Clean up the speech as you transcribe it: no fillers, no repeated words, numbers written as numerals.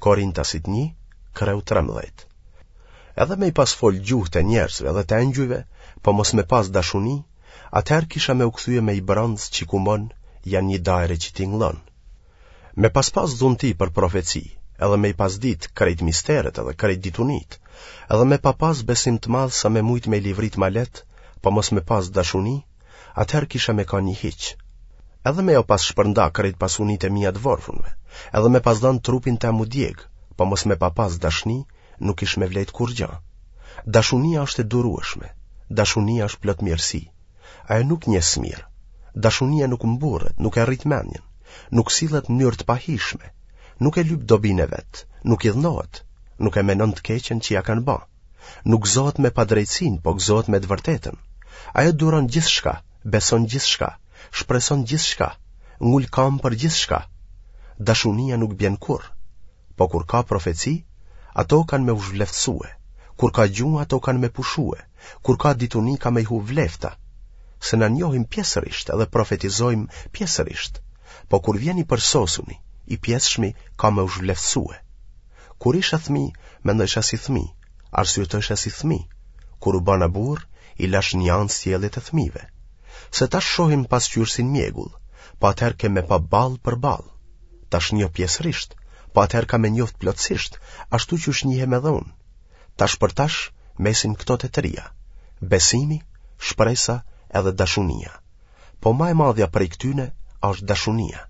Korintasit 1, kreu 13. Edhe me i pas fol gjuhët e njerëzve dhe të engjujve, po mos me pas dashuni, atëherë kisha me u kthye me i bronz që kumon, ja një dajre që tingëllon. Me pas pas dhunti për profeci, edhe me i pas ditë krejt misteret edhe krejt ditunitë, edhe me pa pas besim të madh sa me mujt me i livrit malet, po mos me pas dashuni, atëherë kisha me kanë një hiç. Edhe me jau pas shpërnda krejt pasunitë e mia të vorfunve, edhe me pas dhanë trupin tem m'u djeg, po mos me pa pas dashni, nuk kish me vlejt kurrgja. Dashunia është e durueshme, dashunia është plot mirësi. Ajo nuk njeh smirë. Dashunia nuk mburret, nuk e rrit mendjen, nuk sillet në mënyrë të pahijshme, nuk e lyp dobinë e vet, nuk idhnohet, nuk e menon të keqen që ia kanë ba. Nuk gëzohet me padrejtësinë, po gëzohet me të vërtetën. Ajo duron gjithçka, beson gjithçka, shpreson gjithçka, ngul kamë për gjithçka. Dashunia nuk bjen kurrë. Po kur ka profeci, ato kanë me u zhvleftësue, kur ka gjuhë ato kanë me pushue, kur ka dituni ka me i hup vlefta. Se na njohim pjesërisht edhe profetizojmë pjesërisht, po kur vjen i përsosuni, i pjesshmi ka me u zhvleftësue. Kur isha thmi, mendojsha si thmi, arsyetojsha si thmi, kur u bana burrë, i lashë një anë sjelljet e thmive. Se tash shohim pasqyrë si në mjegull, po atëherë kem me pa ballë për ballë. Tash njoh pjesërisht, po atëherë kam me njoft plotësisht, ashtu qysh njihem edhe unë. Tash për tash mesin këto të tria, besimi, shpresa edhe dashunia. Po ma e madhja prej këtyne është dashunia.